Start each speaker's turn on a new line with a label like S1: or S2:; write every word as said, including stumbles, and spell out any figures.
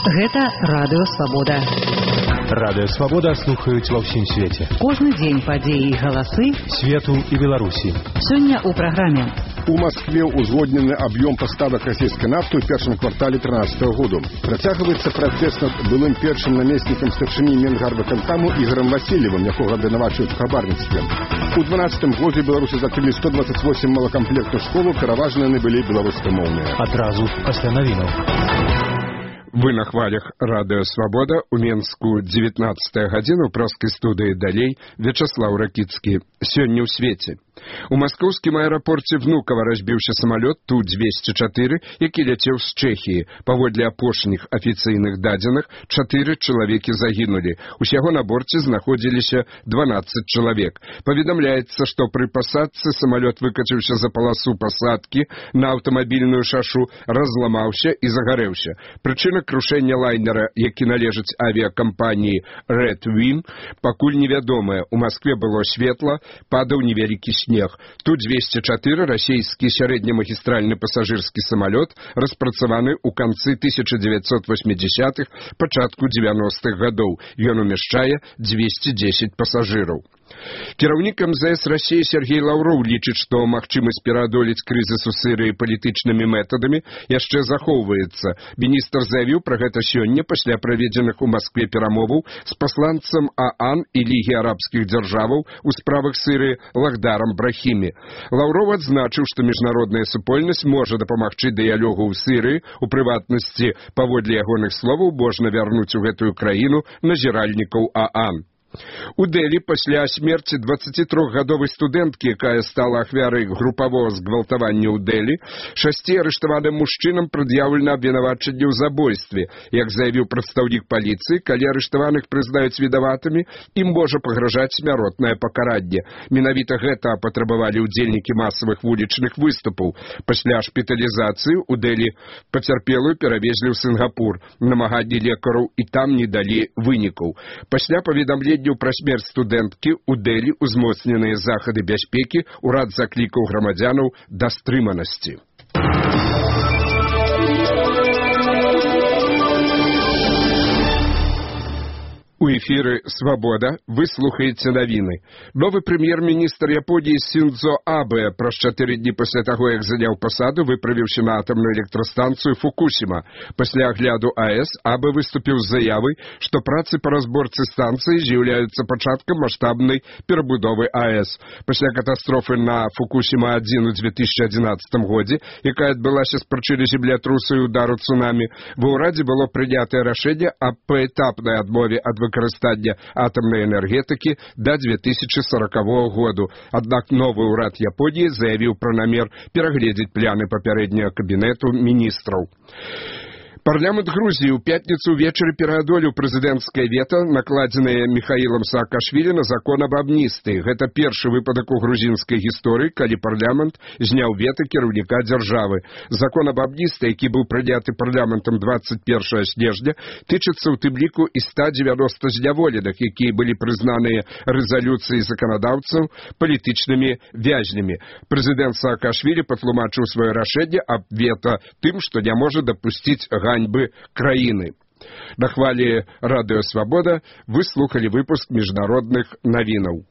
S1: Гэта Радыё Свабода.
S2: Радыё Свабода слухаюць ва ўсім свеце.
S1: Кожны дзень падзеі і галасы
S2: свету і Беларусі.
S1: Сёння ў праграме.
S3: У Москве узгоднены аб'ём паставак расійскай нафты ў першым квартале трынаццатага году. Працягваецца пратэст над былым першым намеснікам старшыні Менгарвыканкаму Ігорам Васильевым, якога абвінавачваюць у хабарніцтве. У дванаццатым годзе беларусы закрылі сто двадцать восемь малакамплектных школаў, пераважна яны былі беларускамоўныя.
S2: Адразу пасля навінаў.
S4: Вы на хвалях Радыё Свабода, у Менску дзевятнаццатая гадзіна, ў праскай студыі далей Вячаслаў Ракіцкі. Сёння ў свеце. У маскоўскім аэрапорце Внукова разбіўся самалёт Ту двести чатыры, які ляцеў з Чэхіі. Паводле апошніх афіцыйных дадзеных, чатыры чалавекі загінулі. Усяго на борце знаходзіліся дванаццаць чалавек. Паведамляецца, што пры пасадцы самалёт выкаціўся за паласу пасадкі на аўтамабільную шашу, разламаўся і загарэўся. Прычына крушэння лайнера, які належыць авіякампаніі Red Wing, пакуль невядомая. У Маскве было светла, падаў невялікі снег. Ту двести чатыры, расійскі сярэднемагістральны пасажырскі самалёт, распрацаваны ў канцы тысяча дзевяцьсот восьмідзясятых, пачатку дзевяностых гадоў. Ён умяшчае дзвесце дзесяць пасажыраў. Кіраўнік эм зэ эс Расіі Сергей Лаўроў лічыць, што магчымасць пераадолець крызіс у Сірыі палітычнымі метадамі яшчэ захоўваецца. Міністр заявіў пра гэта сёння пасля праведзеных у Маскве перамоваў з пасланцам ААН і Лігі арабскіх дзяржаваў у справах Сірыі Лахдарам Брахімі. Лаўроў адзначыў, што міжнародная супольнасць можа дапамагчы дыялогу ў Сірыі, у прыватнасці, паводле ягоных словаў, можна вярнуць у гэтую краіну назіральнікаў ААН. У Дэлі пасля смерці дваццацітрохгадовай студэнткі, якая стала ахвярай групавога згвалтавання ў Дэлі, шасці арыштаваным мужчынам прад'яўлена абвінавачанне ў забойстве. Як заявіў прадстаўнік паліцыі, калі арыштаваных прызнаюць вінаватымі, ім можа пагражаць смяротнае пакаранне. Менавіта гэта патрабавалі ўдзельнікі масавых вулічных выступаў. Пасля шпіталізацыі ў Дэлі пацярпелую перавезлі ў Сінгапур. Намаганні лекараў і там не далі вынікаў. Пасля паведамлення пра смерць студэнткі у Дэлі узмоцненыя захады бяспекі, урад заклікаў грамадзянаў да стрыманасці. У эфіры «Свабода» вы слухаеце навіны. Новы прэм'ер-міністр Японіі Сіндзо Абэ праз чатыры дні пасля таго, як заняў пасаду, выправіўся на атамную электрастанцыю Фукусіма. Пасля агляду АЭС Абэ выступіў з заявай, што працы па разборцы станцыі з'яўляюцца пачаткам маштабнай перабудовы АЭС. Пасля катастрофы на Фукусіма адзін у две тысячы адзінаццатым годзе, якая адбылася з прычыны землятрусу і удару цунамі, ва ўрадзе было прынятае рашэнне аб паэтапнай адмове ад выкарыстання атамнай энергетыкі да две тысячы сорокавога году. Аднак новы ўрад Японіі заявіў пра намер перагледзець пляны папярэдняга кабінету міністраў. Парламент Грузіі ў пятніцу ўвечары пераадолеў прэзідэнцкае вета, накладзенае Міхаілам Саакашвілі на закон аб амністыі. Гэта першы выпадак у грузінскай гісторыі, калі парламент зняў вета кіраўніка дзяржавы. Закон аб амністыі, які быў прыняты парламентам двадцать первого снежня, тычыцца ў тым ліку і ста дзевяноста зняволеных, якія былі прызнаныя рэзалюцыяй заканадаўцаў палітычнымі вязнямі. Прэзідэнт Саакашвілі патлумачыў сваё рашэнне аб вета тым, што не можа дапусціць ганьбы краіны. На хвалі Радыё Свабода вы слухалі выпуск міжнародных навінаў.